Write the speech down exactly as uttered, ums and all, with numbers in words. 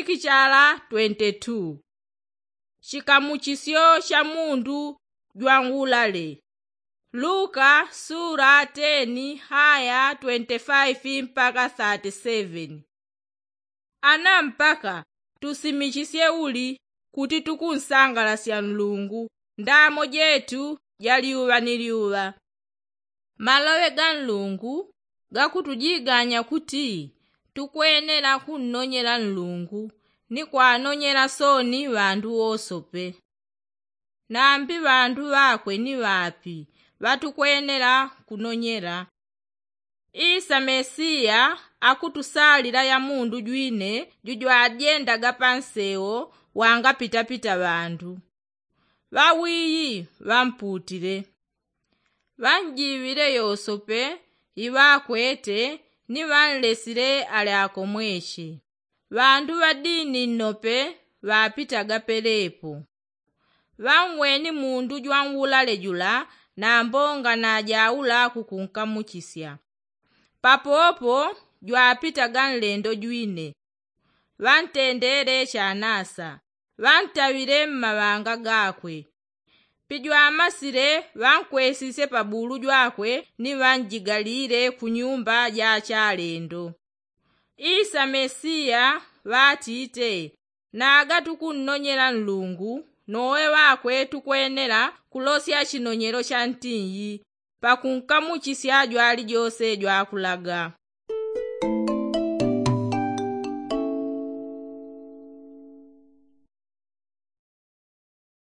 Kichala twenti tu. Chikamuchisyo cha mundu jwanwulale. Luka sula teni haya twenti faifi mpaka thati seveni. Ana mpaka tusimichisye uli kuti tukunsangalasya nlungu ndamo jetu ja lyuŵa ni lyuŵa. Maloŵe ga nlungu gakutujiganya kuti tukwenela kunnonyela nlungu ni kwanonyela sooni ŵandu wosope. Nambi ŵandu ŵakwe ni ŵapi ŵatukwenela kunonyela? Isa mesiya akutusalila ya mundu jwine jujwajendaga pansewo wangapitapita ŵandu. Ŵawiyi ŵamputile. Ŵanjiŵile yosope iŵakwete ni ŵanlesile ale akomweche. Ŵandu ŵa dini nnope ŵapitaga pelepo. Ŵanweni mundu jwanwulale jula na mbonga najaula kukunkamuchisya. Papopo jwapitaga nlendo jwine. Ŵantendele chanasa. Ŵantaŵile mmaŵanga gakwe. Pijwamasile ŵankwesisye pabulu jwakwe ni ŵanjigalile kunyumba ja chalendo. Isa mesiya ŵatite, naga tukunnonyela nlungu nowe ŵakwe tukwenela kulosya chinonyelo cha ntinyi pakunkamuchisya jwalijose jwakulaga.